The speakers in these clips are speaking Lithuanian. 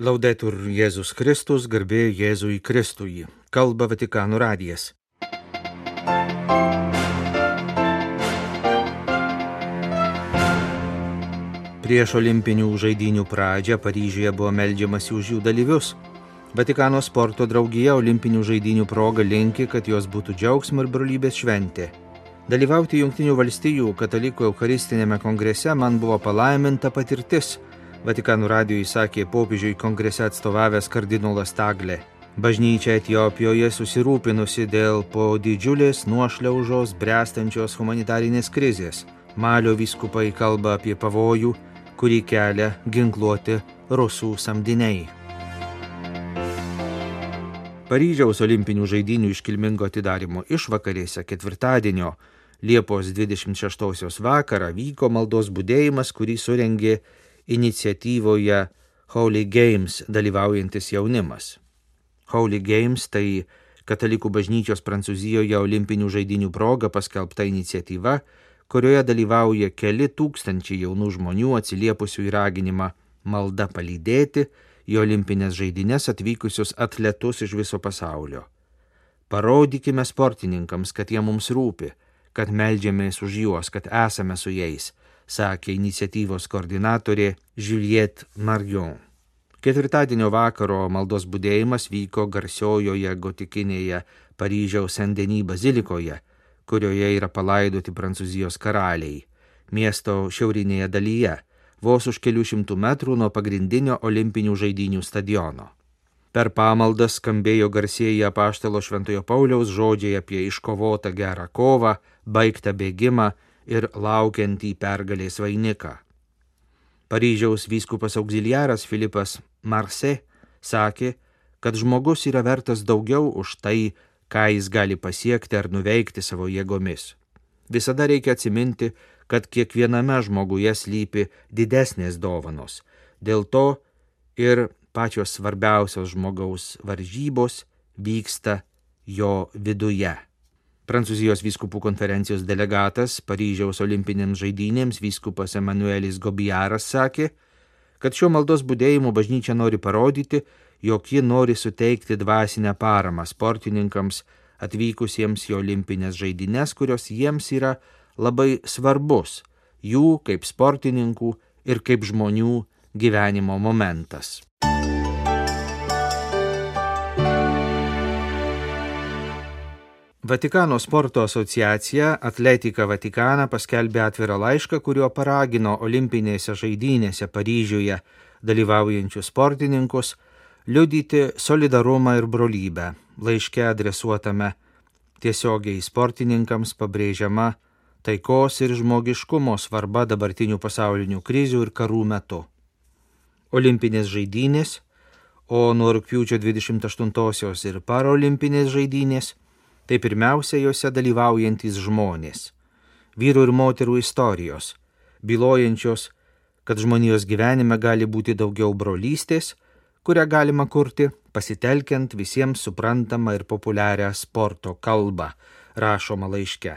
Laudetur Jėzus Kristus, garbė Jėzui Kristui. Kalba Vatikano radijas. Prieš olimpinių žaidynių pradžią Paryžiuje buvo meldžiamasi už jų dalyvius. Vatikano sporto draugija olimpinių žaidynių proga linki, kad jos būtų džiaugsmo ir brolybės šventė. Dalyvauti Jungtinių valstijų katalikų eucharistinėme kongrese man buvo palaiminta patirtis, Vatikano radijui sakė popiežiui kongrese atstovavęs kardinolas Taglė. Bažnyčia Etiopijoje susirūpinusi dėl po didžiulės nuošliaužos bręstančios humanitarinės krizės. Malio vyskupai kalba apie pavojų, kurį kelia ginkluoti rusų samdiniai. Paryžiaus olimpinių žaidynių iškilmingo atidarymo išvakarėse ketvirtadienio Liepos 26 vakarą vyko maldos budėjimas, kurį surengė iniciatyvoje Holy Games dalyvaujantis jaunimas. Holy Games tai katalikų bažnyčios Prancūzijoje olimpinių žaidynių proga paskelbta iniciatyva, kurioje dalyvauja keli tūkstančiai jaunų žmonių atsiliepusių į raginimą malda palydėti į olimpinės žaidynes atvykusius atletus iš viso pasaulio. Parodykime sportininkams, kad jie mums rūpi, kad meldžiamės už juos, kad esame su jais, sakė iniciatyvos koordinatorė Juliette Marion. Ketvirtadienio vakaro maldos budėjimas vyko garsiojoje gotikinėje Paryžiaus Saint-Denis bazilikoje, kurioje yra palaidoti Prancūzijos karaliai, miesto šiaurinėje dalyje, vos už kelių šimtų metrų nuo pagrindinio olimpinių žaidynių stadiono. Per pamaldas skambėjo garsieji apaštalo Šventojo Pauliaus žodžiai apie iškovotą gerą kovą, baigtą bėgimą ir laukiantį pergalės vainiką. Paryžiaus vyskupas auxiliaras Filipas Marse sakė, kad žmogus yra vertas daugiau už tai, ką jis gali pasiekti ar nuveikti savo jėgomis. Visada reikia atsiminti, kad kiekviename žmoguje slypi didesnės dovanos. Dėl to ir pačios svarbiausios žmogaus varžybos vyksta jo viduje. Prancūzijos vyskupų konferencijos delegatas Paryžiaus olimpinėms žaidynėms vyskupas Emanuelis Gobijaras sakė, kad šiuo maldos budėjimu bažnyčia nori parodyti, jog ji nori suteikti dvasinę paramą sportininkams atvykusiems į olimpinės žaidynes, kurios jiems yra labai svarbus, jų kaip sportininkų ir kaip žmonių gyvenimo momentas. Vatikano sporto asociacija Atletika Vaticaną paskelbė atvirą laišką, kuriuo paragino olimpinėse žaidynėse Paryžiuje dalyvaujančius sportininkus liudyti solidarumą ir brolybę. Laiške adresuotame tiesiogiai sportininkams pabrėžiama taikos ir žmogiškumo svarba dabartinių pasaulinių krizių ir karų metu. Olimpinės žaidynės, o nuo rugpjūčio 28-osios ir parolimpinės žaidynės, tai pirmiausia jose dalyvaujantis žmonės, vyrų ir moterų istorijos, bylojančios, kad žmonijos gyvenime gali būti daugiau brolystės, kurią galima kurti pasitelkiant visiems suprantamą ir populiarią sporto kalbą, rašoma laiške.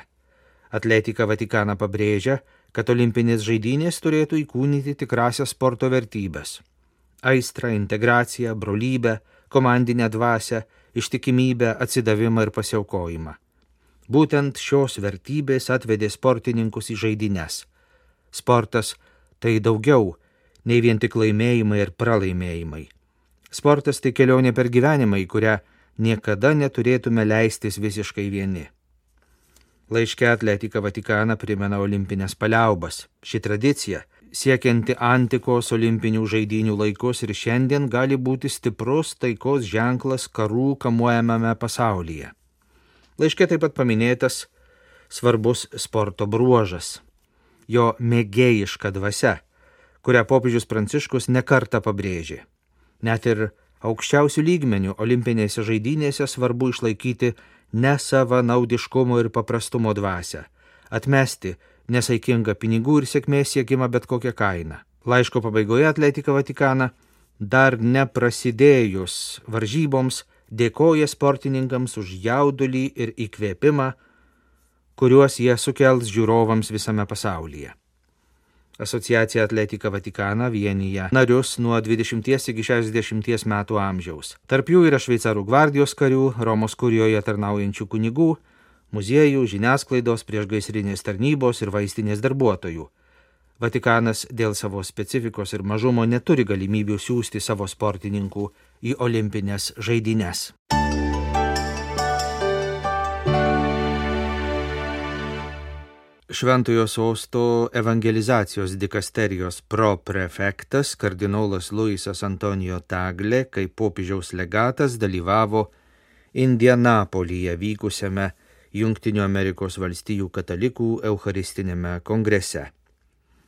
Atletika Vaticaną pabrėžia, kad olimpinės žaidynės turėtų įkūnyti tikrasias sporto vertybės – aistrą, integraciją, brolybę, komandinę dvasią, ištikimybę, atsidavimą ir pasiaukojimą. Būtent šios vertybės atvedė sportininkus į žaidynes. Sportas tai daugiau nei vien tik laimėjimai ir pralaimėjimai. Sportas tai kelionė per gyvenimą, į kurią niekada neturėtume leistis visiškai vieni. Laiške Atletika Vaticaną primena olimpinės paliaubas. Ši tradicija, siekianti antikos olimpinių žaidynių laikus ir šiandien gali būti stiprus taikos ženklas karų kamuojamame pasaulyje. Laiške taip pat paminėtas svarbus sporto bruožas – jo mėgėjiška dvasia, kurią popiežius Pranciškus nekartą pabrėžė. Net ir aukščiausių lygmenių olimpinėse žaidynėse svarbu išlaikyti nesavanaudiškumo ir paprastumo dvasią, atmesti nesaikingą pinigų ir sėkmės siekimą bet kokią kainą. Laiško pabaigoje Atletika Vaticaną, dar neprasidėjus varžyboms, dėkoja sportininkams už jaudulį ir įkvėpimą, kuriuos jie sukels žiūrovams visame pasaulyje. Asociacija Atletika Vatikana vienyje narius nuo 20 iki 60 metų amžiaus. Tarp jų yra šveicarų gvardijos karių, Romos kurijoje tarnaujančių kunigų, muziejų, žiniasklaidos, priešgaisrinės tarnybos ir vaistinės darbuotojų. Vatikanas dėl savo specifikos ir mažumo neturi galimybių siųsti savo sportininkų į olimpines žaidynes. Šventojo sosto evangelizacijos dikasterijos proprefektas kardinolas Luisas Antonijo Tagle kaip popiežiaus legatas dalyvavo Indianapolyje vykusiame Jungtinių Amerikos valstijų katalikų eucharistinėme kongrese.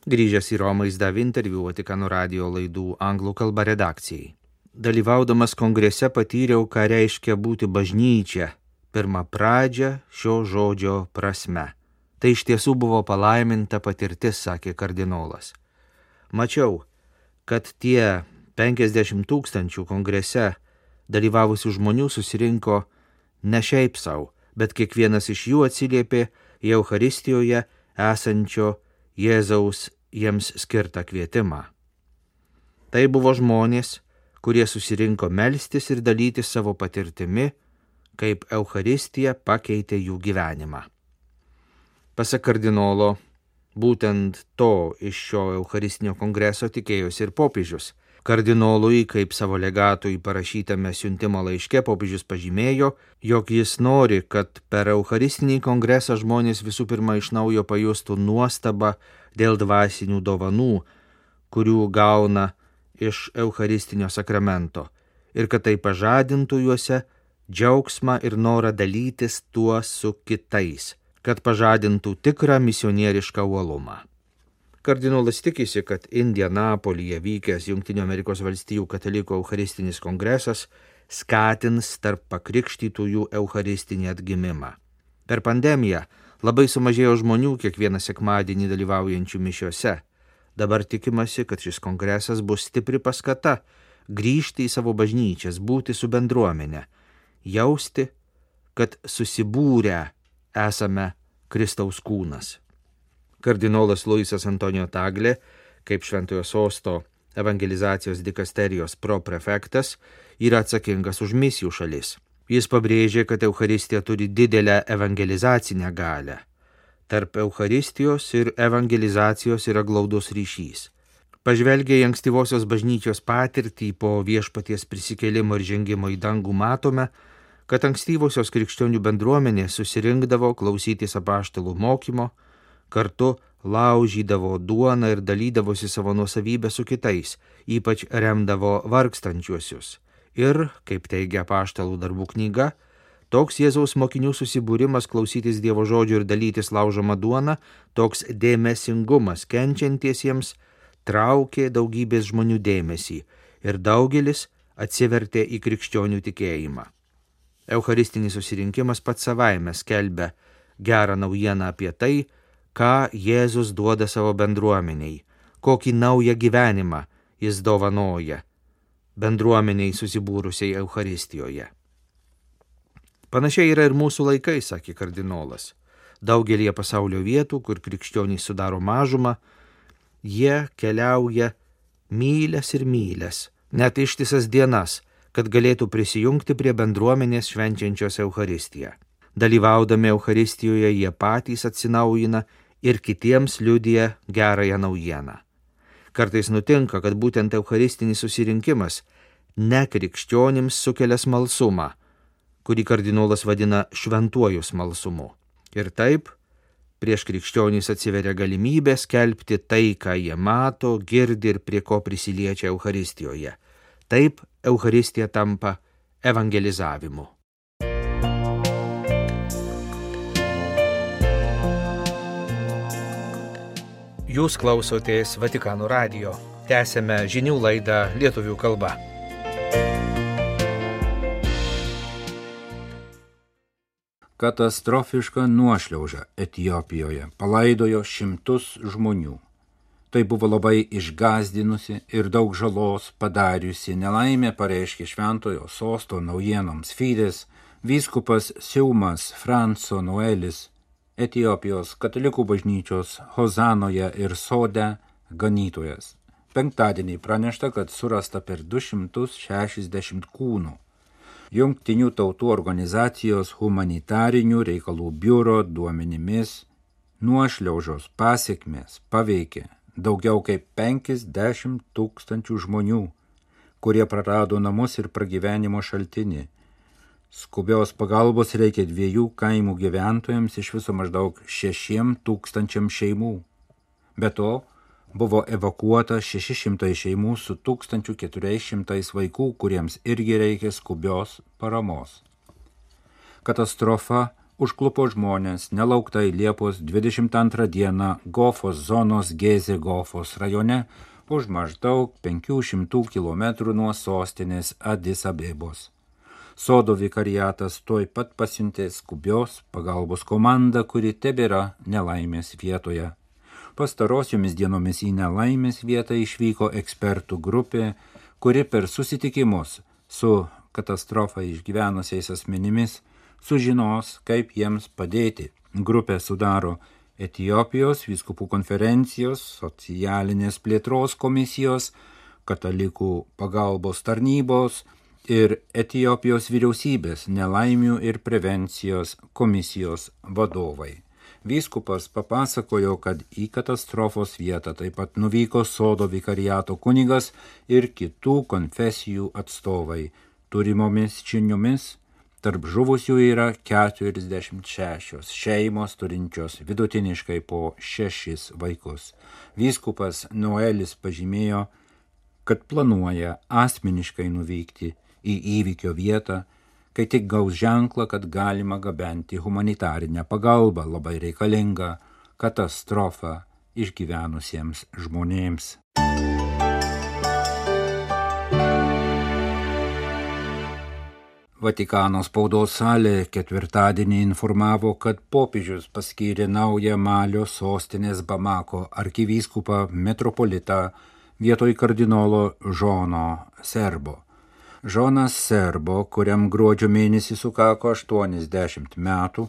Grįžęs į Romą jis davė interviu Vatikano radijo laidų anglų kalba redakcijai. Dalyvaudamas kongrese patyriau, ką reiškia būti bažnyčia, pirmą pradžią šio žodžio prasme. Tai iš tiesų buvo palaiminta patirtis, sakė kardinolas. Mačiau, kad tie 50 000 kongrese dalyvavusių žmonių susirinko ne šiaip sau, bet kiekvienas iš jų atsiliepė į Eucharistijoje esančio Jėzaus jiems skirtą kvietimą. Tai buvo žmonės, kurie susirinko melstis ir dalytis savo patirtimi, kaip Eucharistija pakeitė jų gyvenimą. Pasak kardinolo, būtent to iš šio Eucharistinio kongreso tikėjosi ir popiežius. Kardinolui, kaip savo legatui parašytame siuntimo laiške, popiežius pažymėjo, jog jis nori, kad per Eucharistinį kongresą žmonės visų pirma iš naujo pajustų nuostabą dėl dvasinių dovanų, kurių gauna iš Eucharistinio sakramento, ir kad tai pažadintų juose džiaugsmą ir norą dalytis tuo su kitais, kad pažadintų tikrą misionierišką uolumą. Kardinolas tikisi, kad Indianapolyje vykęs Jungtinių Amerikos valstijų katalikų eucharistinis kongresas skatins tarp pakrikštytųjų eucharistinį atgimimą. Per pandemiją labai sumažėjo žmonių kiekvieną sekmadienį dalyvaujančių mišiose. Dabar tikimasi, kad šis kongresas bus stipri paskata grįžti į savo bažnyčias, būti su bendruomenė, jausti, kad susibūrę esame Kristaus kūnas. Kardinolas Luisas Antonijo Tagle, kaip Šventojo sosto evangelizacijos dikasterijos proprefektas, yra atsakingas už misijų šalis. Jis pabrėžė, kad Eucharistija turi didelę evangelizacinę galią. Tarp Eucharistijos ir evangelizacijos yra glaudus ryšys. Pažvelgę į ankstyvosios bažnyčios patirtį po viešpaties prisikėlimo ir žengimo į dangų matome, kad ankstyvosios krikščionių bendruomenės susirinkdavo klausytis apaštalų mokymo, kartu laužydavo duoną ir dalydavosi savo nuosavybę su kitais, ypač remdavo vargstančiuosius. Ir, kaip teigia apaštalų darbų knyga, toks Jėzaus mokinių susibūrimas klausytis Dievo žodžio ir dalytis laužomą duoną, toks dėmesingumas kenčiantiesiems traukė daugybės žmonių dėmesį ir daugelis atsivertė į krikščionių tikėjimą. Eucharistinis susirinkimas pats savaime skelbia gerą naujieną apie tai, ką Jėzus duoda savo bendruomeniai, kokį naują gyvenimą jis dovanoja bendruomeniai susibūrusiai Eucharistijoje. Panašiai yra ir mūsų laikai, sakė kardinolas. Daugelie pasaulio vietų, kur krikščionys sudaro mažumą, jie keliauja mylias ir mylias, net ištisas dienas, kad galėtų prisijungti prie bendruomenės švenčiančios Eucharistiją. Dalyvaudami Eucharistijoje jie patys atsinaujina ir kitiems liudija gerąją naujieną. Kartais nutinka, kad būtent eucharistinis susirinkimas nekrikščionims sukelia smalsumą, kurį kardinolas vadina šventuoju smalsumu. Ir taip, prieš krikščionys atsiveria galimybė skelbti tai, ką jie mato, girdi ir prie ko prisiliečia Eucharistijoje. Taip, Eucharistija tampa evangelizavimu. Jūs klausotės Vatikano radijo. Tęsėme žinių laidą lietuvių kalba. Katastrofiška nuošliauža Etiopijoje palaidojo šimtus žmonių. Tai buvo labai išgąsdinusi ir daug žalos padariusi nelaimė, pareiškė Šventojo sosto naujienoms Fides vyskupas Siumas Franco Noelis Etiopijos katalikų bažnyčios Hozanoje ir Sode ganytojas. Penktadienį pranešta, kad surasta per 260 kūnų. Jungtinių tautų organizacijos humanitarinių reikalų biuro duomenimis nuošliaužos pasekmės paveikė daugiau kaip 50 000 žmonių, kurie prarado namus ir pragyvenimo šaltinį. Skubios pagalbos reikia 2 kaimų gyventojams, iš viso maždaug 6 000 šeimų. Be to, buvo evakuota 600 šeimų su 1400 vaikų, kuriems irgi reikia skubios paramos. Katastrofa užklupo žmonės nelauktai Liepos 22 dieną Gofos zonos Gezė Gofos rajone už maždaug 500 km nuo sostinės Adis Abebos. Sodo vikariatas tuoj pat pasiuntė skubios pagalbos komandą, kuri tebėra nelaimės vietoje. Pastarosiomis dienomis į nelaimės vietą išvyko ekspertų grupė, kuri per susitikimus su katastrofą išgyvenusiais asmenimis sužinos, kaip jiems padėti. Grupę sudaro Etiopijos vyskupų konferencijos, socialinės plėtros komisijos, katalikų pagalbos tarnybos ir Etiopijos vyriausybės nelaimių ir prevencijos komisijos vadovai. Vyskupas papasakojo, kad į katastrofos vietą taip pat nuvyko Sodo vikariato kunigas ir kitų konfesijų atstovai. Turimomis žiniomis tarp žuvusių yra 46 šeimos turinčios vidutiniškai po 6 vaikus. Vyskupas Noelis pažymėjo, kad planuoja asmeniškai nuvykti į įvykio vietą, kai tik gaus ženklą, kad galima gabenti humanitarinę pagalbą labai reikalingą katastrofą išgyvenusiems žmonėms. Vatikano spaudos salė ketvirtadienį informavo, kad popiežius paskyrė naują Malio sostinės Bamako arkivyskupą metropolitą vietoj kardinolo Žono Serbo. Žonas Serbo, kuriam gruodžio mėnesį sukako 80 metų,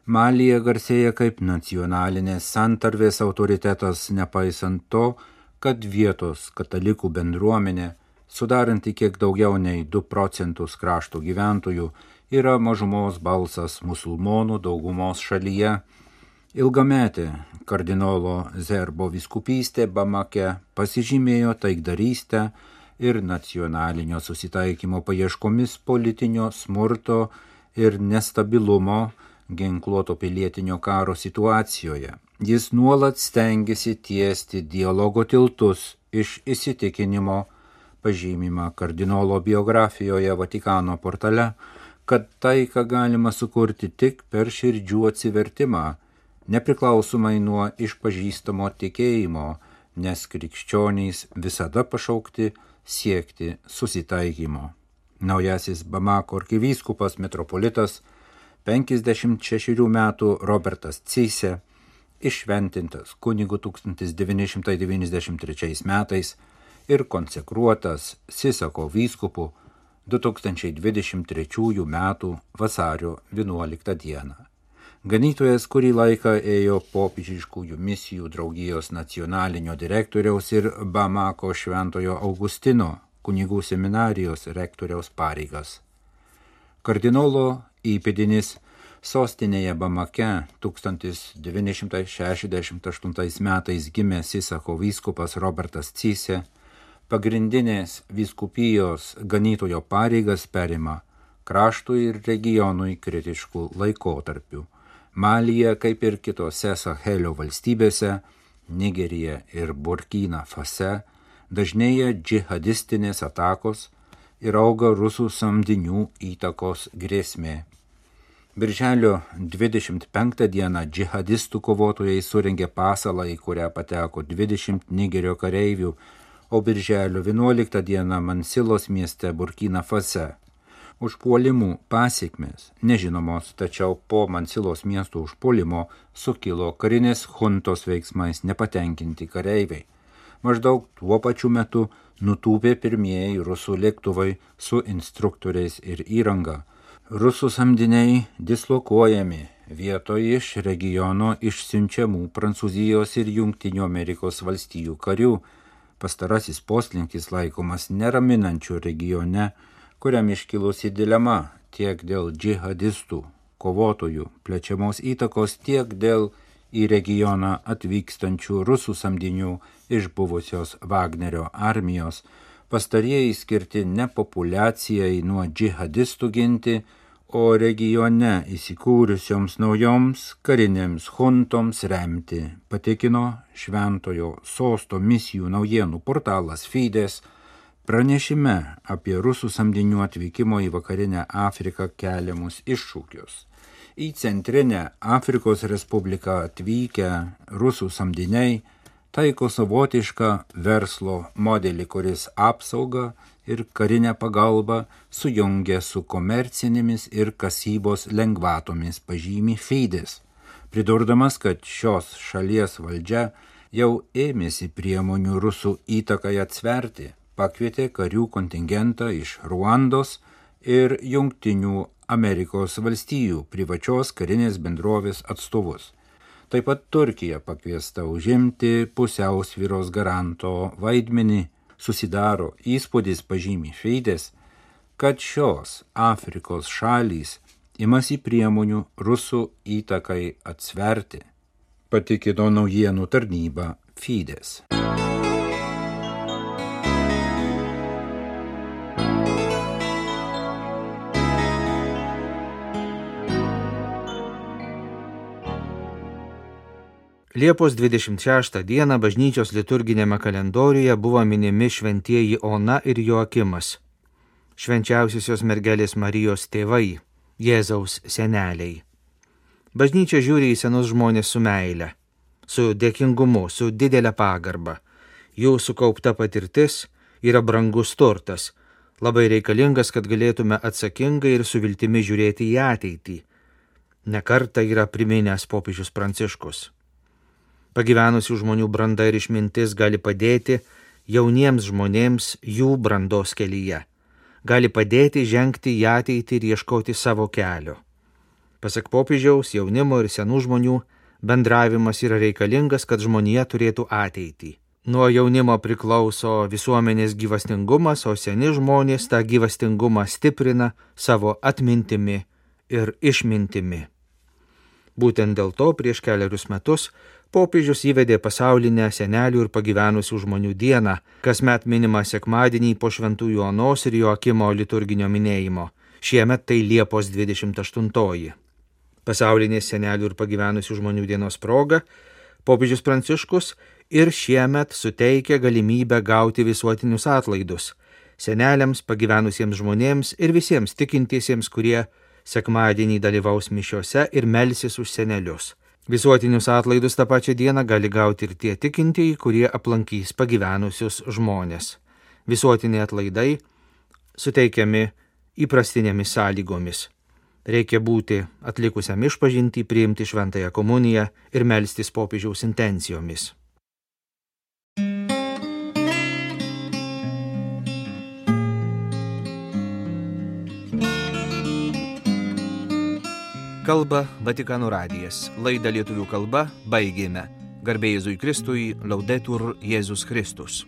Malyje garsėja kaip nacionalinės santarvės autoritetas, nepaisant to, kad vietos katalikų bendruomenė, sudaranti kiek daugiau nei 2 procentus krašto gyventojų, yra mažumos balsas musulmonų daugumos šalyje. Ilgametė kardinolo Serbo vyskupystė Bamake pasižymėjo taikdarystę ir nacionalinio susitaikymo paieškomis politinio smurto ir nestabilumo ginkluoto pilietinio karo situacijoje. Jis nuolat stengiasi tiesti dialogo tiltus iš įsitikinimo, pažymima kardinolo biografijoje Vatikano portale, kad taiką galima sukurti tik per širdžių atsivertimą, nepriklausomai nuo išpažįstamo tikėjimo, nes krikščionys visada pašaukti siekti susitaikymo. Naujasis Bamako arkivyskupas metropolitas 56 metų Robertas Cise, iššventintas kunigu 1993 metais ir konsekruotas Sisako vyskupu 2023 metų vasario 11 dieną. Ganytojas kurį laiką ėjo popiežiškųjų misijų draugijos nacionalinio direktoriaus ir Bamako Šventojo Augustino kunigų seminarijos rektoriaus pareigas. Kardinolo įpėdinis sostinėje Bamake 1968 metais gimęs Sisako vyskupas Robertas Cise pagrindinės vyskupijos ganytojo pareigas perima kraštui ir regionui kritiškų laikotarpių. Malyje, kaip ir kitose Sahelio valstybėse, Nigerija ir Burkina Fase, dažnėja džihadistinės atakos ir auga rusų samdinių įtakos grėsmė. Birželio 25 dieną džihadistų kovotojai surengė pasalą, į kurią pateko 20 Nigerio kareivių, o birželio 11 dieną Mansilos mieste Burkina Fase. Užpuolimų pasiekmės nežinomos, tačiau po Mansilos miesto užpuolimo sukilo karinės chuntos veiksmais nepatenkinti kareiviai. Maždaug tuo pačiu metu nutūpė pirmieji rusų lėktuvai su instruktoriais ir įranga. Rusų samdiniai dislokuojami vietoj iš regiono išsiunčiamų Prancūzijos ir Jungtinių Amerikos valstijų karių. Pastarasis poslinkis laikomas neraminančiu regione, kuriam iškilusi dilema tiek dėl džihadistų, kovotojų plečiamos įtakos, tiek dėl į regioną atvykstančių rusų samdinių iš buvusios Vagnerio armijos. Pastarieji skirti ne populiacijai nuo džihadistų ginti, o regione įsikūrusioms naujoms karinėms huntoms remti, patikino Šventojo Sosto misijų naujienų portalas Fides pranešime apie rusų samdinių atvykimo į vakarinę Afriką keliamus iššūkius. Į Centrinę Afrikos Respubliką atvykę rusų samdiniai taiko savotišką verslo modelį, kuris apsaugą ir karinę pagalbą sujungia su komercinėmis ir kasybos lengvatomis, pažymi Fides, pridurdamas, kad šios šalies valdžia jau ėmėsi priemonių rusų įtakai atsverti, pakvietė karių kontingentą iš Ruandos ir Jungtinių Amerikos valstijų privačios karinės bendrovės atstovus. Taip pat Turkija pakviesta užimti pusiausvyros garanto vaidmenį. Susidaro įspūdis, pažymi Fides, kad šios Afrikos šalys imasi priemonių rusų įtakai atsverti, patikino naujienų tarnyba Fides. Liepos 26 dieną bažnyčios liturginėme kalendoriuje buvo minimi šventieji Ona ir Joakimas, švenčiausiosios mergelės Marijos tėvai, Jėzaus seneliai. Bažnyčia žiūri į senus žmonės su meile, su dėkingumu, su didelė pagarba. Jų sukaupta patirtis yra brangus turtas, labai reikalingas, kad galėtume atsakingai ir su viltimi žiūrėti į ateitį. Ne kartą yra priminęs popiežius Pranciškus. Pagyvenusių žmonių branda ir išmintis gali padėti jauniems žmonėms jų brandos kelyje. Gali padėti žengti į ateitį ir ieškoti savo kelio. Pasak popiežiaus, jaunimo ir senų žmonių bendravimas yra reikalingas, kad žmonija turėtų ateitį. Nuo jaunimo priklauso visuomenės gyvastingumas, o seni žmonės tą gyvastingumą stiprina savo atmintimi ir išmintimi. Būtent dėl to prieš keliarius metus popiežius įvedė pasaulinę senelių ir pagyvenusių žmonių dieną, kasmet minimą sekmadienį po Šventųjų Onos ir Joakimo liturginio minėjimo. Šiemet tai Liepos 28. Pasaulinės senelių ir pagyvenusių žmonių dienos proga popiežius Pranciškus ir šiemet suteikia galimybę gauti visuotinius atlaidus seneliams, pagyvenusiems žmonėms ir visiems tikintiesiems, kurie sekmadienį dalyvaus mišiose ir melsis už senelius. Visuotinius atlaidus tą pačią dieną gali gauti ir tie tikintieji, kurie aplankys pagyvenusius žmonės. Visuotiniai atlaidai suteikiami įprastinėmis sąlygomis. Reikia būti atlikusiam išpažintį, priimti šventąją komuniją ir melstis popiežiaus intencijomis. Kalba Vatikano radijas. Laidą lietuvių kalba baigėme. Garbė Jėzui Kristui, Laudetur Jėzus Kristus.